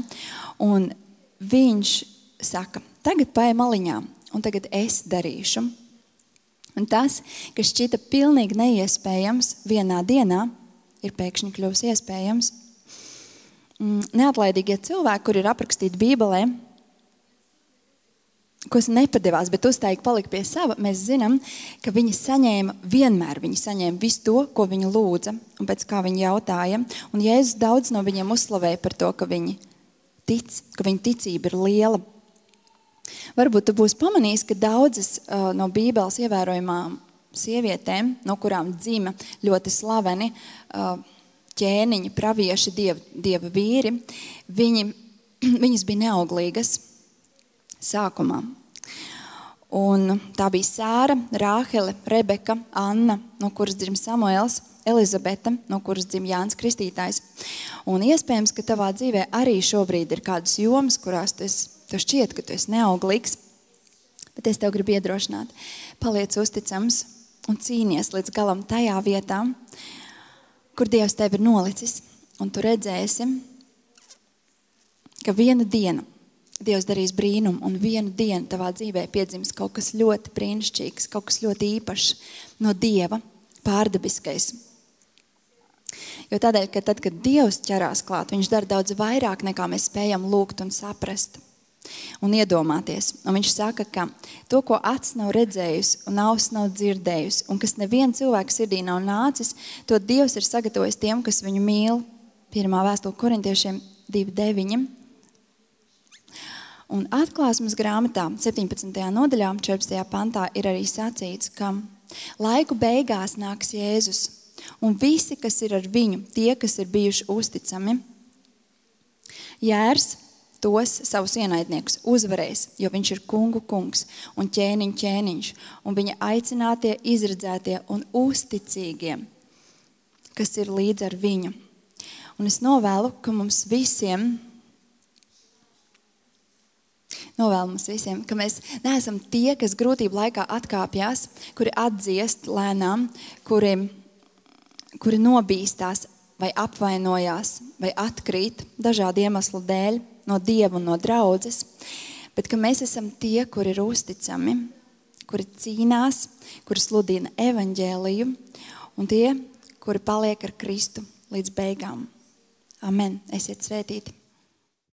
Un viņš saka, tagad paej maliņā, un tagad es darīšu. Un tas, kas šķita pilnīgi neiespējams vienā dienā, ir pēkšņi kļuvis iespējams. Neatlaidīgie cilvēki, kur ir aprakstīti Bībelē, kas nepadevās, bet uztaigi palika pie sava, mēs zinām, ka viņi saņēma visu to, ko viņi lūdza un pēc kā viņi jautāja. Un Jēzus daudz no viņiem uzslavēja par to, ka viņi tic, ka viņa ticība ir liela. Varbūt tu būsi pamanījis, ka daudzas no Bībeles ievērojumām sievietēm, no kurām dzima ļoti slaveni ķēniņi, pravieši, dieva vīri, viņas bija neauglīgas sākumā. Un tā bija Sāra, Rāhele, Rebeka, Anna, no kuras dzim Samuēls, Elizabete, no kuras dzim Jānis Kristītājs. Un iespējams, ka tavā dzīvē arī šobrīd ir kādas jomas, kurās tev šķiet, ka tu esi neauglīgs, bet es tev gribu iedrošināt. Paliec uzticams un cīnies līdz galam tajā vietā, kur Dievs tevi ir nolicis. Un tu redzēsi, ka vienu dienu Dievs darīs brīnumu, un vienu dienu tavā dzīvē piedzims kaut kas ļoti brīnišķīgs, kaut kas ļoti īpašs no Dieva, pārdabiskais. Jo tādēļ, ka tad, kad Dievs ķerās klāt, viņš dara daudz vairāk, nekā mēs spējam lūgt un saprast un iedomāties. Un viņš saka, ka to, ko acis nav redzējusi un auss nav dzirdējusi, un kas neviena cilvēka sirdī nav nācis, to Dievs ir sagatavojis tiem, kas viņu mīl. 1. vēstule Korintiešiem 2:9. Un Atklāsmes grāmatā 17. nodaļā, 14. pantā ir arī sacīts, ka laiku beigās nāks Jēzus, un visi, kas ir ar viņu, tie, kas ir bijuši uzticami, jērs tos savus ienaidniekus uzvarēs, jo viņš ir kungu kungs un ķēniņu ķēniņš, un viņa aicinātie, izredzētie un uzticīgie, kas ir līdz ar viņu. Un es novēlu, ka mums visiem, ka mēs neesam tie, kas grūtību laikā atkāpjās, kuri atdziest lēnām, kuri nobīstās vai apvainojās vai atkrīt dažādu iemeslu dēļ no Dieva un no draudzes, bet ka mēs esam tie, kuri ir uzticami, kuri cīnās, kuri sludina evaņģēliju un tie, kuri paliek ar Kristu līdz beigām. Amen. Esiet svētīti.